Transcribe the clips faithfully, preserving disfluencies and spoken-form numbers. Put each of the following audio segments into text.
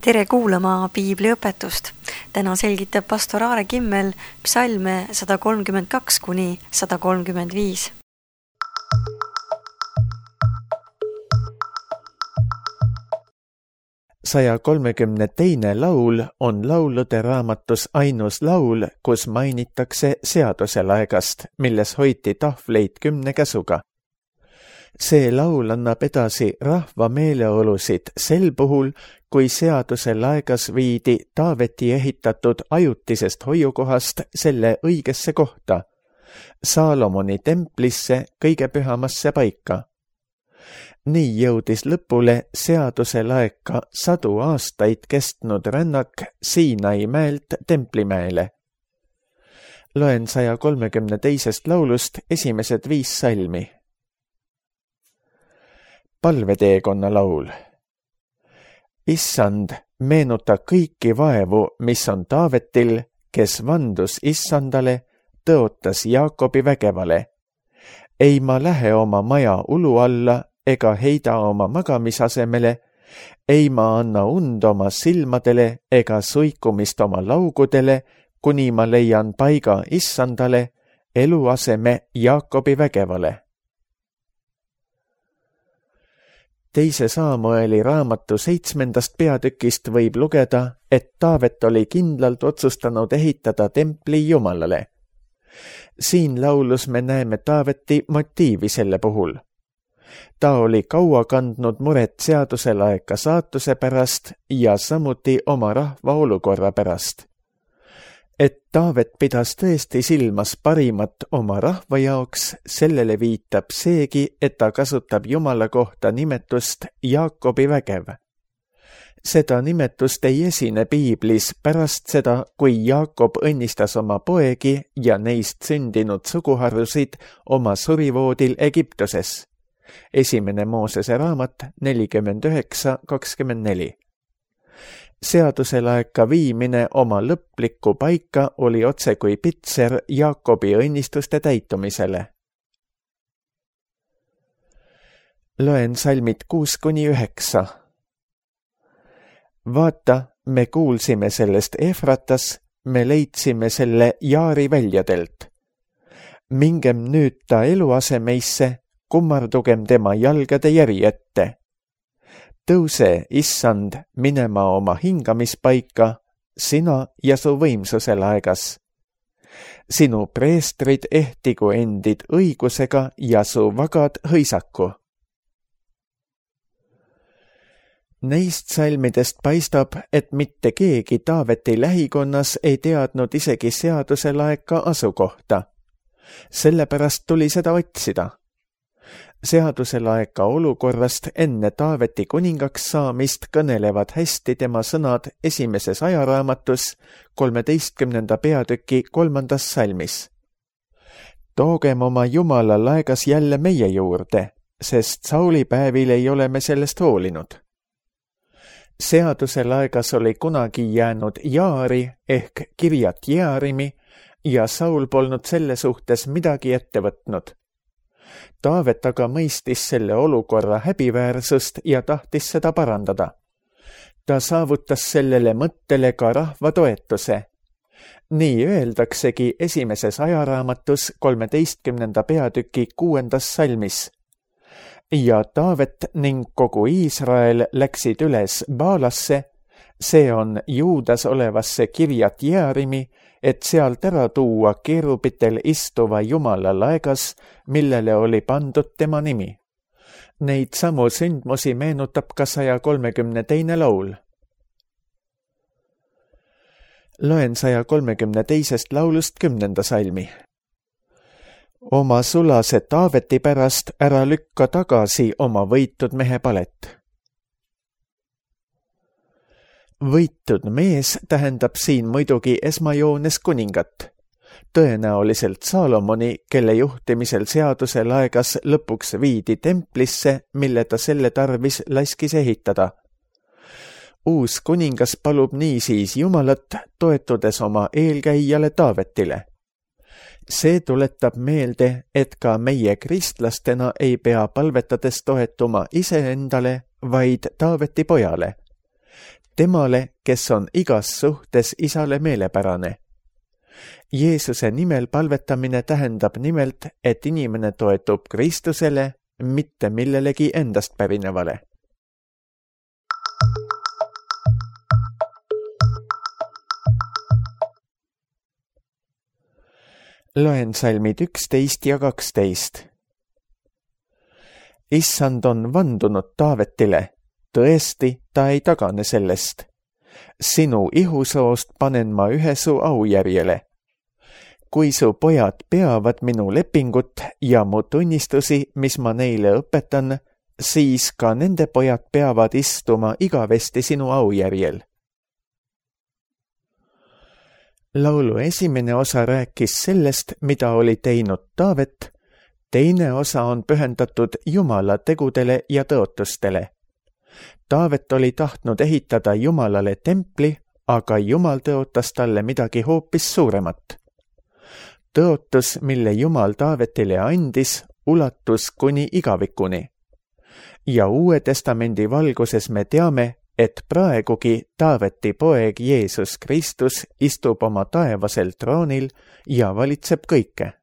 Tere kuulama piibliõpetust. Täna selgitab pastor Aare Kimmel psalme sada kolmkümmend kaks kuni sada kolmkümmend viis. saja kolmekümne teine laul on laulude raamatus ainus laul, kus mainitakse seaduselaegast, milles hoiti tahvleid kümne käsuga. See laul annab edasi rahva meeleolusid sel puhul, kui seaduselaegas viidi Taaveti ehitatud ajutisest hoiukohast selle õigesse kohta, Saalomoni templisse kõige pühamasse paika. Nii jõudis lõpule seaduselaeka sadu aastaid kestnud rännak Siinai mäelt Templimäele. Loen saja kolmekümne teisest laulust esimesed viis salmi. Palveteekonna laul. Issand, meenuta kõiki vaevu, mis on Taavetil, kes vandus Issandale, tõotas Jaakobi vägevale. Ei ma lähe oma maja ulu alla ega heida oma magamisasemele, ei ma anna und oma silmadele ega suikumist oma laugudele, kuni ma leian paiga Issandale, eluaseme Jaakobi vägevale. Teise Saamueli raamatu seitsmendast peatükist võib lugeda, et Taavet oli kindlalt otsustanud ehitada templi Jumalale. Siin laulus me näeme Taaveti motiivi selle puhul. Ta oli kaua kandnud muret seaduselaeka saatuse pärast ja samuti oma rahva olukorra pärast. Et Taavet pidas tõesti silmas parimat oma rahva jaoks, sellele viitab seegi, et ta kasutab Jumala kohta nimetust Jaakobi vägev. Seda nimetust ei esine piiblis pärast seda, kui Jaakob õnnistas oma poegi ja neist sündinud suguharusid oma surivoodil Egiptuses. Esimene Moosese raamat nelikümmend üheksa kakskümmend neli. Seaduselaeka viimine oma lõplikku paika oli otse kui pitser Jaakobi õnnistuste täitumisele. Loen salmid kuus kuni üheksa. Vaata, me kuulsime sellest Efratas, me leidsime selle Jaari väljadelt. Mingem nüüd ta eluasemeisse, kummardugem tema jalgade järi ette. Tõuse, Issand, minema oma hingamispaika, sina ja su võimsuselaegas. Sinu preestrid ehtigu endid õigusega ja su vagad hõisaku. Neist salmidest paistab, et mitte keegi Taaveti lähikonnas ei teadnud isegi seaduselaeka asukohta. Sellepärast tuli seda otsida. Seaduselaeka olukorrast enne Taaveti kuningaks saamist kõnelevad hästi tema sõnad esimeses ajaraamatus kolmeteistkümnenda peatüki kolmandas salmis. Toogem oma Jumala laegas jälle meie juurde, sest Sauli päevil ei ole me sellest hoolinud. Seaduselaegas oli kunagi jäänud Jaari ehk Kirjat Jearimi ja Saul polnud selle suhtes midagi ette võtnud. Taavet aga mõistis selle olukorra häbiväärsust ja tahtis seda parandada. Ta saavutas sellele mõttele ka rahva toetuse. Nii öeldaksegi esimeses ajaraamatus kolmeteistkümnenda peatüki kuuendas salmis. Ja Taavet ning kogu Iisrael läksid üles Baalasse, see on Juudas olevasse Kirjat Jearimi, et sealt ära tuua keerubitel istuva Jumala laegas, millele oli pandud tema nimi. Neid samu sündmusi meenutab ka saja kolmekümne teine laul. Loen saja kolmekümne teisest laulust kümnenda salmi. Oma sulase Taaveti pärast ära lükka tagasi oma võitud mehe palet. Võitud mees tähendab siin muidugi esmajoones kuningat, tõenäoliselt Saalomoni, kelle juhtimisel seaduselaegas lõpuks viidi templisse, mille ta selle tarvis laskis ehitada. Uus kuningas palub niisiis Jumalat, toetudes oma eelkäijale Taavetile. See tuletab meelde, et ka meie kristlastena ei pea palvetades toetuma iseendale, vaid Taaveti pojale. temale, kes on igas suhtes isale meelepärane. Jeesuse nimel palvetamine tähendab nimelt, et inimene toetub Kristusele, mitte millelegi endast pärinevale. Loen salmid üksteist ja kaksteist. Issand on vandunud Taavetile, tõesti, ta ei tagane sellest. Sinu ihusoost panen ma ühe su aujärjele. Kui su pojad peavad minu lepingut ja mu tunnistusi, mis ma neile õpetan, siis ka nende pojad peavad istuma igavesti sinu aujärjel. Laulu esimene osa rääkis sellest, mida oli teinud Taavet, teine osa on pühendatud Jumala tegudele ja tõotustele. Taavet oli tahtnud ehitada Jumalale templi, aga Jumal tõotas talle midagi hoopis suuremat. Tõotus, mille Jumal Taavetile andis, ulatus kuni igavikuni. Ja Uue Testamendi valguses me teame, et praegugi Taaveti poeg Jeesus Kristus istub oma taevasel troonil ja valitseb kõike.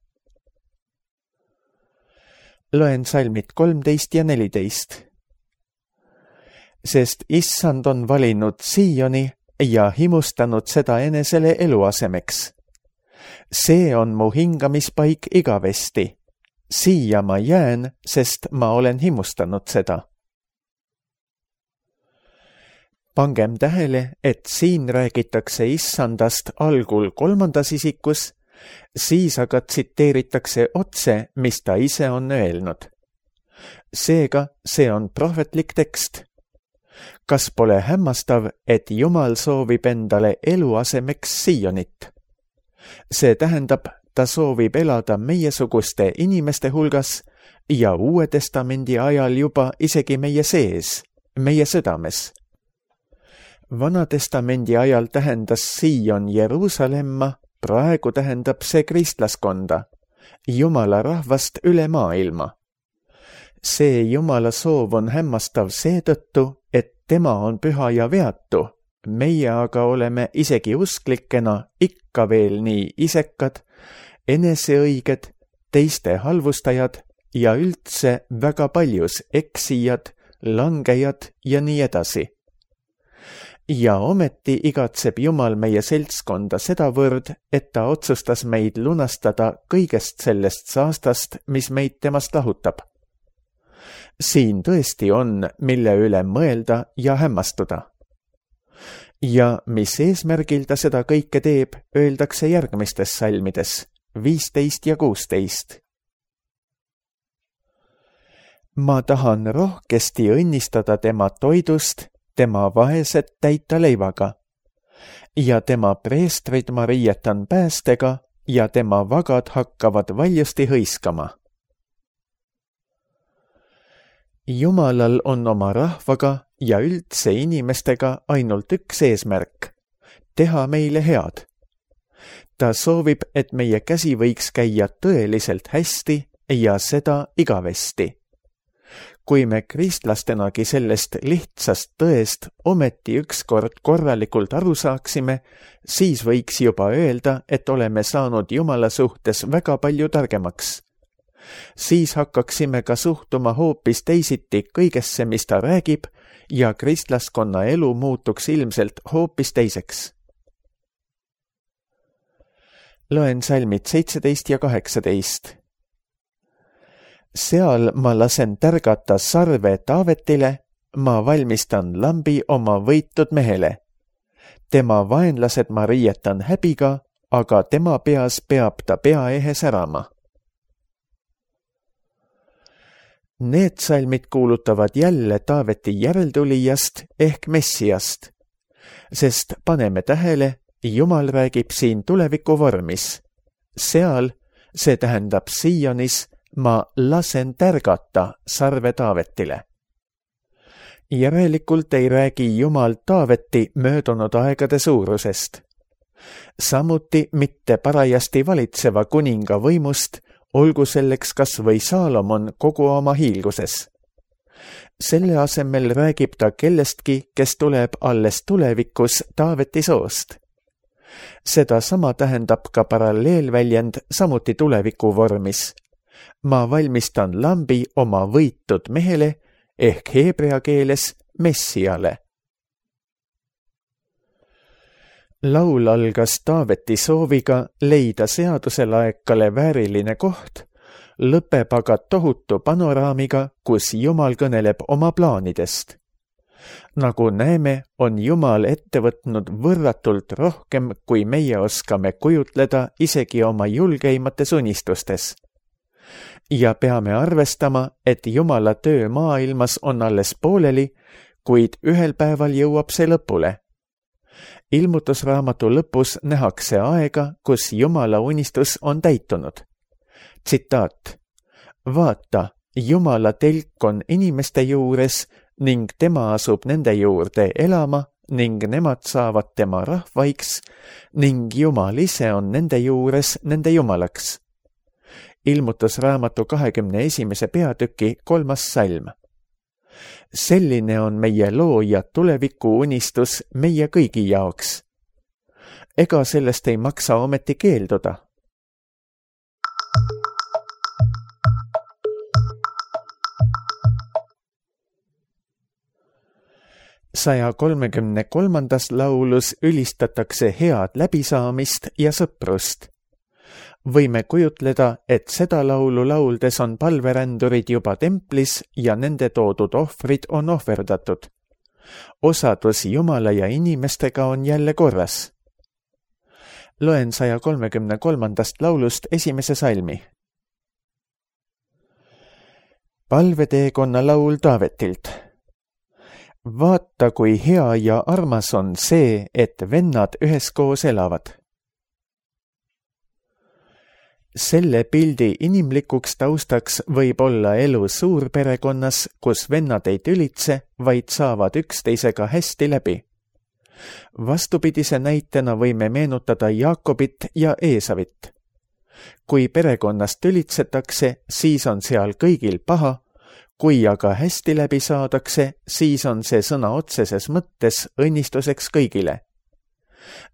Loen salmid kolmteist ja neliteist. Sest Issand on valinud Sioni ja himustanud seda enesele eluasemeks. See on mu hingamispaik igavesti. Siia ma jään, sest ma olen himustanud seda. Pangem tähele, et siin räägitakse Issandast algul kolmandas isikus, siis aga tsiteeritakse otse, mis ta ise on öelnud. Seega see on prohvetlik tekst. Kas pole hämmastav, et Jumal soovib endale eluasemeks Sionit? See tähendab, ta soovib elada meiesuguste inimeste hulgas ja Uue Testamendi ajal juba isegi meie sees, meie südames. Vanatestamendi ajal tähendas Sion Jeruusalemma, praegu tähendab see kristlaskonda, Jumala rahvast üle maailma. See Jumala soov on hämmastav seetõttu, et tema on püha ja veatu, meie aga oleme isegi usklikena ikka veel nii isekad, eneseõiged, teiste halvustajad ja üldse väga paljus eksijad, langejad ja nii edasi. Ja ometi igatseb Jumal meie seltskonda sedavõrd, et ta otsustas meid lunastada kõigest sellest saastast, mis meid temast lahutab. Siin tõesti on, mille üle mõelda ja hämmastuda. Ja mis eesmärgil ta seda kõike teeb, öeldakse järgmistes salmides, viisteist ja kuusteist. Ma tahan rohkesti õnnistada tema toidust, tema vaesed täita leivaga, ja tema preestrid ma riietan päästega ja tema vagad hakkavad valjusti hõiskama. Jumalal on oma rahvaga ja üldse inimestega ainult üks eesmärk, teha meile head. Ta soovib, et meie käsi võiks käia tõeliselt hästi ja seda igavesti. Kui me kristlastenagi sellest lihtsast tõest ometi ükskord korralikult aru saaksime, siis võiks juba öelda, et oleme saanud Jumala suhtes väga palju targemaks. Siis hakkaksime ka suhtuma hoopis teisiti kõigesse, mis ta räägib, ja kristlaskonna elu muutuks ilmselt hoopis teiseks. Loen salmid seitseteist ja kaheksateist. Seal ma lasen tärgata sarve Taavetile, ma valmistan lambi oma võitud mehele. Tema vaenlased ma riietan häbiga, aga tema peas peab ta pea ehe särama. Need salmid kuulutavad jälle Taaveti järeltulijast ehk Messiast, sest paneme tähele, Jumal räägib siin tuleviku vormis. Seal, see tähendab Sionis, ma lasen tärgata sarve Taavetile. Järelikult ei räägi Jumal Taaveti möödunud aegade suurusest. Samuti mitte parajasti valitseva kuninga võimust, olgu selleks kas või Saalomon kogu oma hiilguses. Selle asemel räägib ta kellestki, kes tuleb alles tulevikus Taaveti soost. Seda sama tähendab ka paralleelväljend samuti tuleviku vormis. Ma valmistan lambi oma võitud mehele ehk heebrea keeles Messiale. Laul algas Taaveti sooviga leida seaduselaekale vääriline koht, lõpeb aga tohutu panoraamiga, kus Jumal kõneleb oma plaanidest. Nagu näeme, on Jumal ette võtnud võrratult rohkem, kui meie oskame kujutleda isegi oma julgeimates unistustes. Ja peame arvestama, et Jumala töö maailmas on alles pooleli, kuid ühel päeval jõuab see lõpule. Ilmutusraamatu lõpus nähakse aega, kus Jumala unistus on täitunud. Tsitaat: vaata, Jumala telk on inimeste juures ning tema asub nende juurde elama ning nemad saavad tema rahvaiks ning Jumal ise on nende juures nende Jumalaks. Ilmutusraamatu kahekümne esimese peatüki kolmas salm. Selline on meie looja tuleviku unistus meie kõigi jaoks. Ega sellest ei maksa ometi keelduda. saja kolmekümne kolmandas laulus ülistatakse head läbisaamist ja sõprust. Võime kujutleda, et seda laulu lauldes on palverändurid juba templis ja nende toodud ohvrid on ohverdatud. Osadus Jumala ja inimestega on jälle korras. Loen saja kolmekümne kolmandast laulust esimese salmi. Palveteekonna laul Taavetilt. Vaata, kui hea ja armas on see, et vennad üheskoos elavad. Selle pildi inimlikuks taustaks võib olla elu suurperekonnas, kus vennad ei tülitse, vaid saavad üksteisega hästi läbi. Vastupidise näitena võime meenutada Jaakobit ja Eesavit. Kui perekonnas tülitsetakse, siis on seal kõigil paha, kui aga hästi läbi saadakse, siis on see sõna otseses mõttes õnnistuseks kõigile.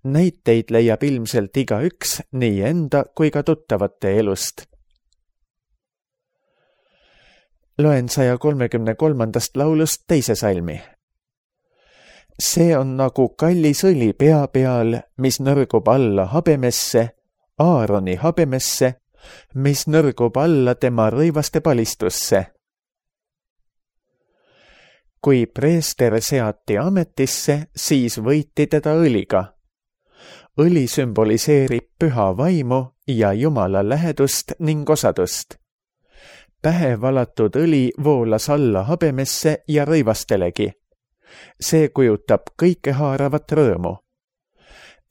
Näiteid leiab ilmselt igaüks nii enda kui ka tuttavate elust. Loen saja kolmekümne kolmandast laulust teise salmi. See on nagu kallis õli pea peal, mis nõrgub alla habemesse, Aaroni habemesse, mis nõrgub alla tema rõivaste palistusse. Kui preester seati ametisse, siis võiti teda õliga. Õli sümboliseerib püha vaimu ja Jumala lähedust ning osadust. Pähe valatud õli voolas alla habemesse ja rõivastelegi. See kujutab kõikehaaravat rõõmu.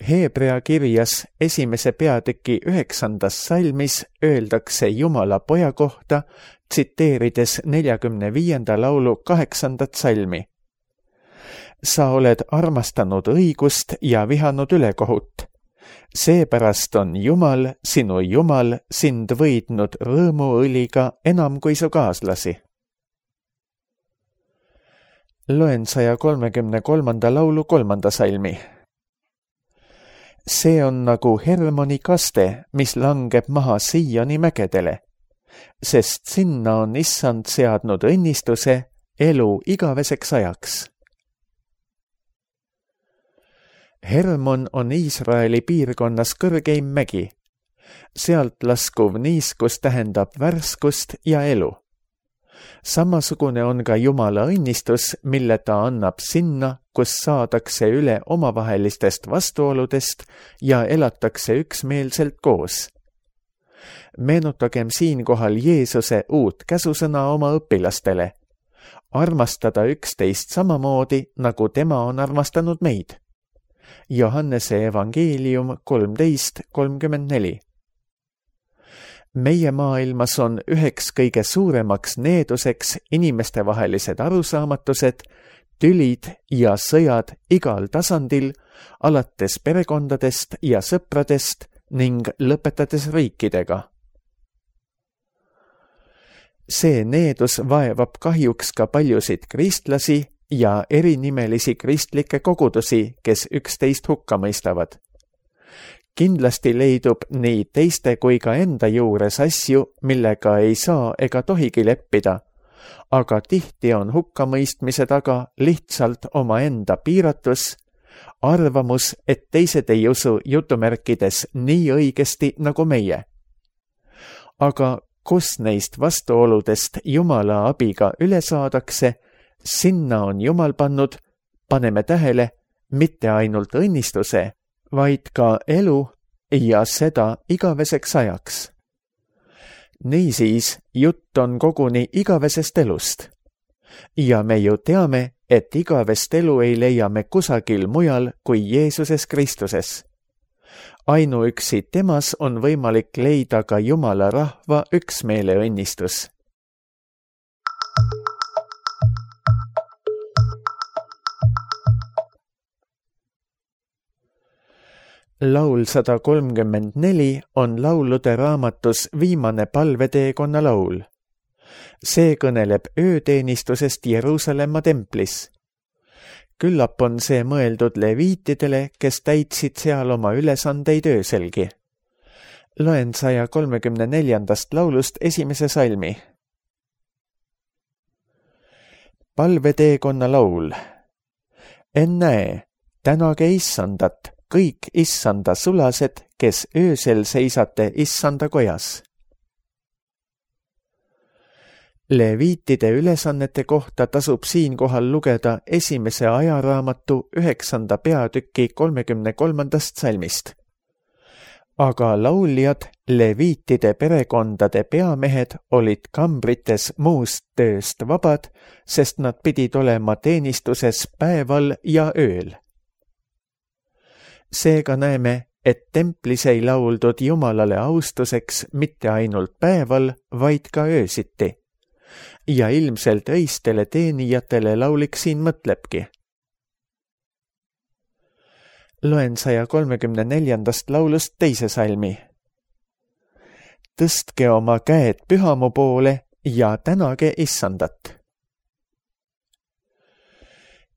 Heebrea kirjas esimese peatüki üheksandas salmis öeldakse Jumala poja kohta, tsiteerides neljakümne viienda laulu kaheksandat salmi. Sa oled armastanud õigust ja vihanud ülekohut. Seepärast on Jumal, sinu Jumal, sind võidnud rõõmuõliga enam kui su kaaslasi. Loen saja kolmekümne kolmanda laulu kolmanda salmi. See on nagu Hermoni kaste, mis langeb maha Siioni mägedele, sest sinna on Issand seadnud õnnistuse elu igaveseks ajaks. Hermon on Iisraeli piirkonnas kõrgeim mägi. Sealt laskuv niiskus tähendab värskust ja elu. Samasugune on ka Jumala õnnistus, mille ta annab sinna, kus saadakse üle omavahelistest vastuoludest ja elatakse üksmeelselt koos. Meenutagem siinkohal Jeesuse uut käsusõna oma õpilastele. Armastada üksteist samamoodi, nagu tema on armastanud meid. Johannese evangeelium kolmteist kolmkümmend neli. Meie maailmas on üheks kõige suuremaks needuseks inimestevahelised arusaamatused, tülid ja sõjad igal tasandil, alates perekondadest ja sõpradest ning lõpetades riikidega. see needus vaevab kahjuks ka paljusid kristlasi ja erinnimelisi kristlikke kogudusi, kes üksteist hukka mõistavad. Kindlasti leidub nii teiste kui ka enda juures asju, millega ei saa ega tohigi leppida, aga tihti on hukkamõistmise taga lihtsalt omaenda piiratus, arvamus, et teised ei usu jutumärkides nii õigesti nagu meie. Aga kus neist vastuoludest Jumala abiga üle saadakse, sinna on Jumal pannud, paneme tähele, mitte ainult õnnistuse, vaid ka elu ja seda igaveseks ajaks. Niisiis, jutt on koguni igavesest elust. Ja me ju teame, et igavest elu ei leia me kusagil mujal kui Jeesuses Kristuses. Ainuüksi temas on võimalik leida ka Jumala rahva üksmeele õnnistus. Laul sada kolmkümmend neli on laulude raamatus viimane palveteekonna laul. See kõneleb ööteenistusest Jeruusalemma templis. Küllap on see mõeldud leviitidele, kes täitsid seal oma ülesandeid ööselgi. Loen saja kolmekümne neljandast laulust esimese salmi. Palveteekonna laul. Ennäe, tänage issandat, kõik issanda sulased, kes öösel seisate issanda kojas. Leviitide ülesannete kohta tasub siinkohal lugeda esimese ajaraamatu üheksanda peatüki kolmekümne kolmandast salmist. Aga lauljad, leviitide perekondade peamehed olid kambrites muust tööst vabad, sest nad pidid olema teenistuses päeval ja ööl. Seega näeme, et templis ei lauldud Jumalale austuseks mitte ainult päeval, vaid ka öösiti. Ja ilmselt öistele teenijatele laulik siin mõtlebki. Loen saja kolmekümne neljandast laulust teise salmi. Tõstke oma käed pühamu poole ja tänage issandat.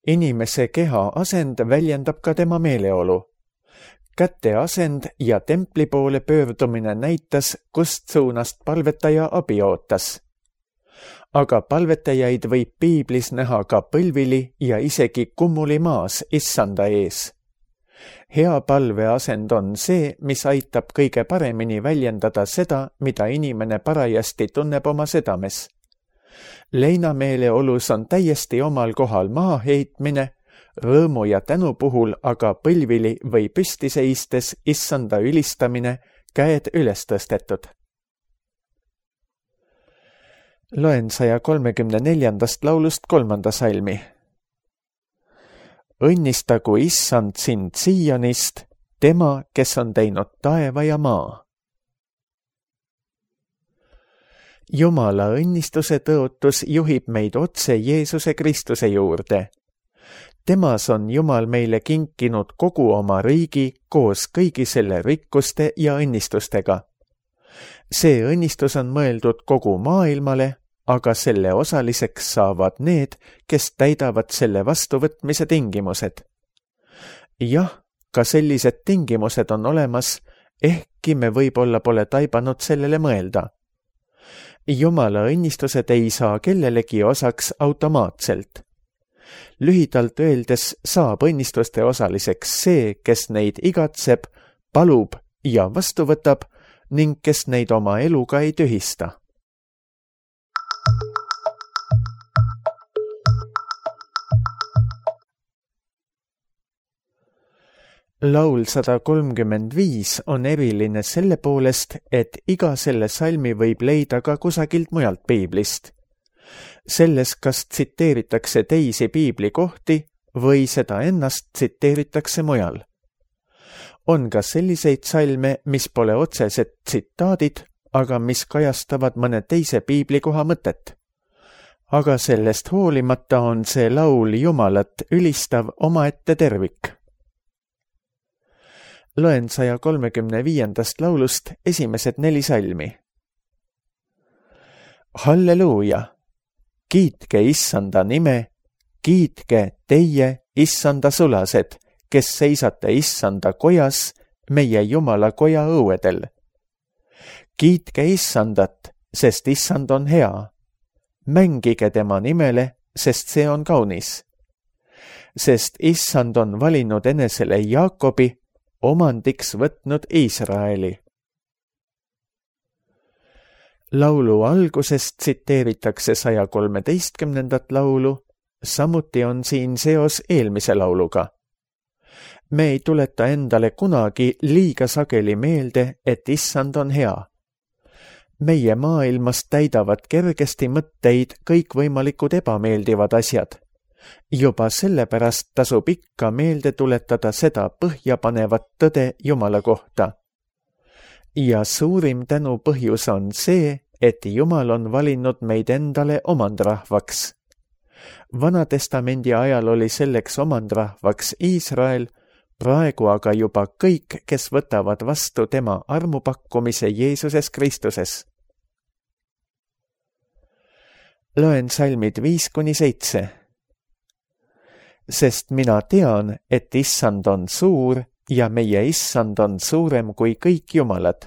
Inimese keha asend väljendab ka tema meeleolu. Käte asend ja templi poole pöördumine näitas, kust suunast palvetaja abi ootas. Aga palvetajaid võib piiblis näha ka põlvili ja isegi kummuli maas issanda ees. Hea palveasend on see, mis aitab kõige paremini väljendada seda, mida inimene parajasti tunneb oma südames. Leinameeleolus on täiesti omal kohal maha heitmine, rõõmu ja tänu puhul aga põlvili või püsti seistes issanda ülistamine, käed üles tõstetud. Loen saja kolmekümne neljandast laulust kolmanda salmi. Õnnistagu issand sind Siionist, tema, kes on teinud taeva ja maa. Jumala õnnistuse tõotus juhib meid otse Jeesuse Kristuse juurde. Temas on Jumal meile kinkinud kogu oma riigi koos kõigi selle rikkuste ja õnnistustega. See õnnistus on mõeldud kogu maailmale, aga selle osaliseks saavad need, kes täidavad selle vastuvõtmise tingimused. Jah, ka sellised tingimused on olemas, ehkki me võib-olla pole taibanud sellele mõelda. Jumala õnnistused ei saa kellelegi osaks automaatselt. Lühidalt öeldes saab õnnistuste osaliseks see, kes neid igatseb, palub ja vastu võtab ning kes neid oma eluga ei tühista. Laul sada kolmkümmend viis on eriline selle poolest, et iga selle salmi võib leida ka kusagilt mujalt piiblist. Selles kas tsiteeritakse teisi piiblikohti või seda ennast tsiteeritakse mujal. On ka selliseid salme, mis pole otsesed tsitaadid, aga mis kajastavad mõne teise piiblikoha mõtet. Aga sellest hoolimata on see laul Jumalat ülistav omaette tervik. Loen saja kolmekümne viiendast laulust esimesed neli salmi. Halleluuja! Kiitke issanda nime, kiitke teie issanda sulased, kes seisate issanda kojas, meie Jumala koja õuedel. Kiitke issandat, sest issand on hea. Mängige tema nimele, sest see on kaunis. Sest issand on valinud enesele Jaakobi, omandiks võtnud Iisraeli. Laulu algusest tsiteeritakse saja kolmeteistkümnendat laulu, samuti on siin seos eelmise lauluga. Me ei tuleta endale kunagi liiga sageli meelde, et issand on hea. Meie maailmas täidavad kergesti mõtteid kõikvõimalikud ebameeldivad asjad. Juba sellepärast tasub ikka meelde tuletada seda põhjapanevat tõde Jumala kohta. Ja suurim tänu põhjus on see, et Jumal on valinud meid endale omandrahvaks. Vanatestamendi ajal oli selleks omandrahvaks Iisrael, praegu aga juba kõik, kes võtavad vastu tema armupakkumise Jeesuses Kristuses. Loen salmid viis kuni seitse. Sest mina tean, et issand on suur ja meie issand on suurem kui kõik jumalad.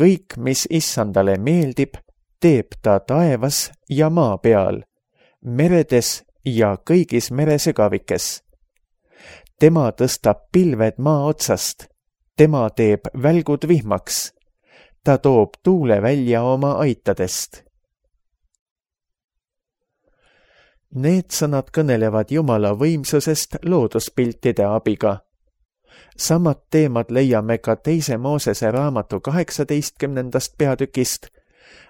Kõik, mis issandale meeldib, teeb ta taevas ja maa peal, meredes ja kõigis meresügavikes. Tema tõstab pilved maa otsast, tema teeb välgud vihmaks, ta toob tuule välja oma aitadest. Need sõnad kõnelevad Jumala võimsusest looduspiltide abiga. Samad teemad leiame ka teise Moosese raamatu kaheksateistkümnendast peatükist,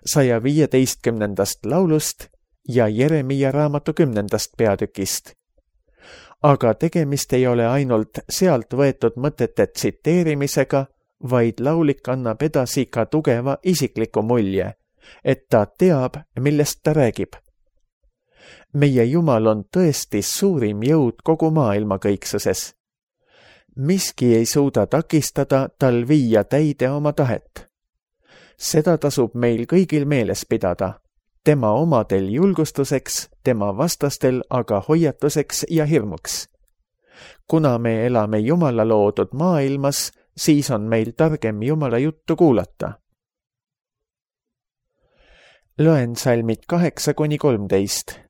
saja viieteistkümnendast laulust ja Jeremia raamatu kümnendast peatükist. Aga tegemist ei ole ainult sealt võetud mõtete tsiteerimisega, vaid laulik annab edasi ka tugeva isikliku mulje, et ta teab, millest ta räägib. Meie Jumal on tõesti suurim jõud kogu maailma kõiksuses. Miski ei suuda takistada tal viia täide oma tahet. Seda tasub meil kõigil meeles pidada, tema omadel julgustuseks, tema vastastel aga hoiatuseks ja hirmuks. Kuna me elame Jumala loodud maailmas, siis on meil targem Jumala juttu kuulata. Loen salmid kaheksa kuni kolmteist.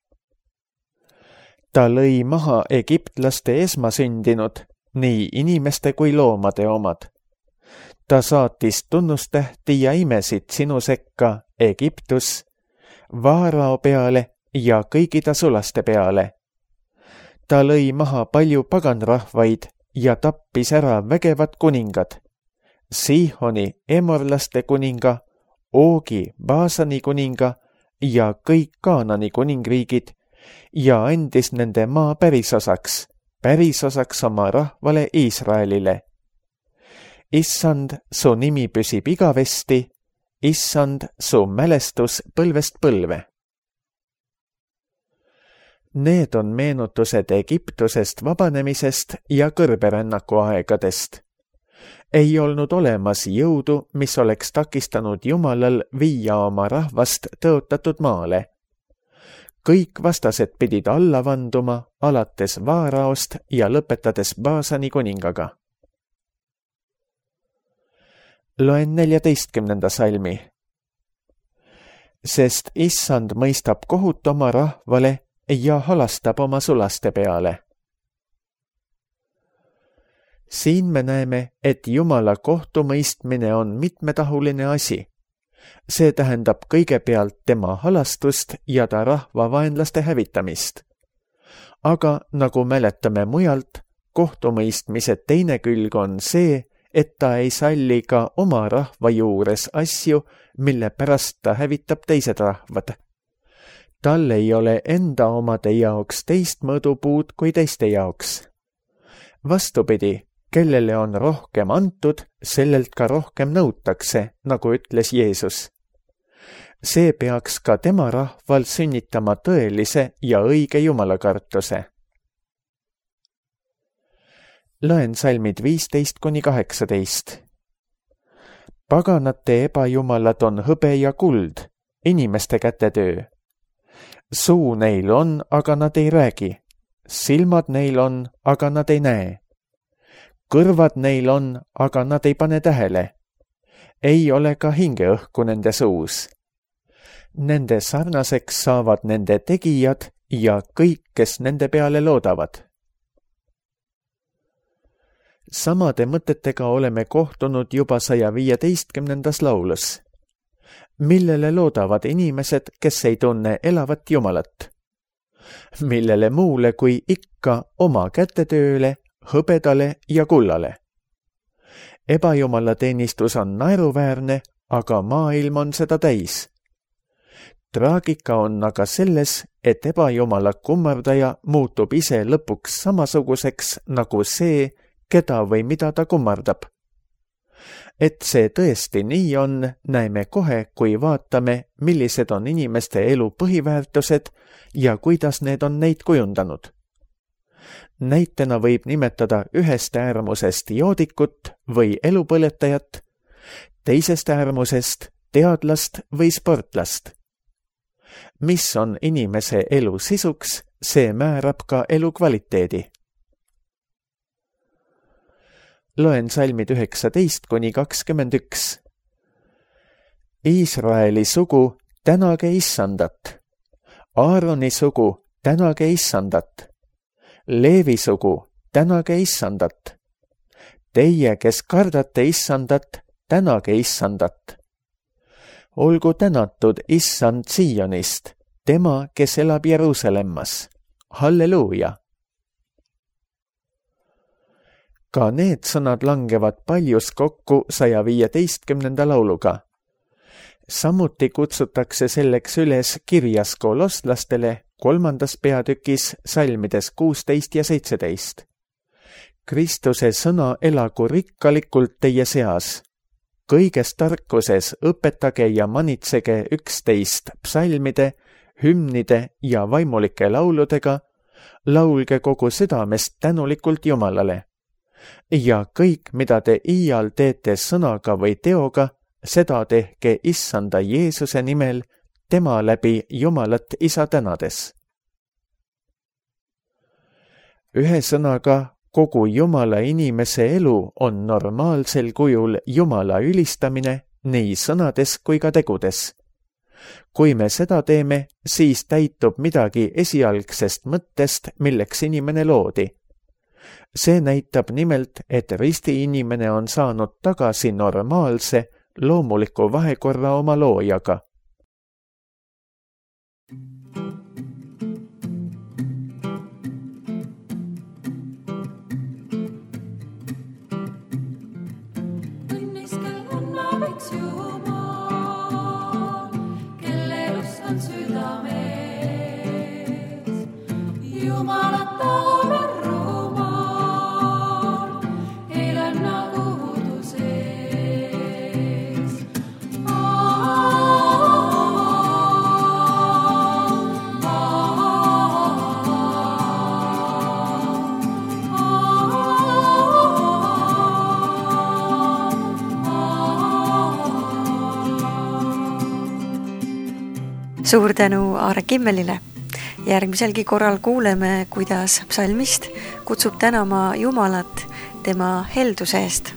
Ta lõi maha egiptlaste esmasündinud, nii inimeste kui loomade omad. Ta saatis tunnustähti ja imesid sinu sekka Egiptus, Vaarao peale ja kõigi ta sulaste peale. Ta lõi maha palju paganrahvaid ja tappis ära vägevad kuningad, Sihoni emorlaste kuninga, Oogi Baasani kuninga ja kõik Kaanani kuningriigid ja andis nende maa pärisosaks, pärisosaks oma rahvale Iisraelile. Issand, su nimi püsib igavesti, issand, su mälestus põlvest põlve. Need on meenutused Egiptusest vabanemisest ja kõrberännaku aegadest. Ei olnud olemas jõudu, mis oleks takistanud Jumalal viia oma rahvast tõotatud maale. Kõik vastased pidid alla vanduma, alates Vaaraost ja lõpetades Baasani kuningaga. Loen neljateistkümnenda salmi. Sest issand mõistab kohut oma rahvale ja halastab oma sulaste peale. Siin me näeme, et Jumala kohtumõistmine on mitmetahuline asi. See tähendab kõigepealt tema halastust ja ta rahva vaenlaste hävitamist. Aga nagu mäletame mujalt, kohtumõistmise teine külg on see, et ta ei salli ka oma rahva juures asju, mille pärast ta hävitab teised rahvad. Tal ei ole enda omade jaoks teist mõõdupuud kui teiste jaoks. Vastupidi, kellele on rohkem antud, sellelt ka rohkem nõutakse, nagu ütles Jeesus. See peaks ka tema rahval sünnitama tõelise ja õige jumalakartuse. Loen salmid viisteist kuni kaheksateist. Paganate ebajumalad on hõbe ja kuld, inimeste kätetöö. Suu neil on, aga nad ei räägi. Silmad neil on, aga nad ei näe. Kõrvad neil on, aga nad ei pane tähele. Ei ole ka hingeõhku nende suus. Nende sarnaseks saavad nende tegijad ja kõik, kes nende peale loodavad. Samade mõtetega oleme kohtunud juba saja viieteistkümnendas laulus, millele loodavad inimesed, kes ei tunne elavat Jumalat, millele muule kui ikka oma kätetööle, hõbedale ja kullale. Ebajumala teenistus on naeruväärne, aga maailm on seda täis. Traagika on aga selles, et ebajumala kummardaja muutub ise lõpuks samasuguseks nagu see, keda või mida ta kummardab. Et see tõesti nii on, näeme kohe, kui vaatame, millised on inimeste elu põhiväärtused ja kuidas need on neid kujundanud. Näitena võib nimetada ühest äärmusest joodikut või elupõletajat, teisest äärmusest teadlast või sportlast. Mis on inimese elu sisuks, see määrab ka elu kvaliteedi. Loen salmid üheksateist kuni kakskümmend üks. Iisraeli sugu, tänage issandat. Aaroni sugu, tänage issandat. Leevi sugu, tänage issandat. Teie, kes kardate issandat, tänage issandat. Olgu tänatud issand Sionist, tema, kes elab Jeruusalemmas. Halleluuja! Ka need sõnad langevad paljus kokku saja viieteistkümnenda lauluga. Samuti kutsutakse selleks üles kirjas kolosslastele kolmandas peatükis salmides kuusteist ja seitseteist. Kristuse sõna elagu rikkalikult teie seas. Kõiges tarkuses õpetage ja manitsege üksteist psalmide, hümnide ja vaimulike lauludega, laulge kogu südamest tänulikult Jumalale. Ja kõik, mida te iial teete sõnaga või teoga, seda tehke issanda Jeesuse nimel, tema läbi Jumalat isa tänades. Ühe sõnaga, kogu Jumala inimese elu on normaalsel kujul Jumala ülistamine nii sõnades kui ka tegudes. Kui me seda teeme, siis täitub midagi esialgsest mõttest, milleks inimene loodi. See näitab nimelt, et risti inimene on saanud tagasi normaalse, loomuliku vahekorra oma loojaga. Suur tänu Aare Kimmelile. Järgmiselgi korral kuuleme, kuidas psalmist kutsub tänama Jumalat tema helduse eest.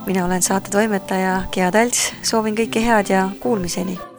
Mina olen saate toimetaja Gea Talts, soovin kõike head ja kuulmiseni.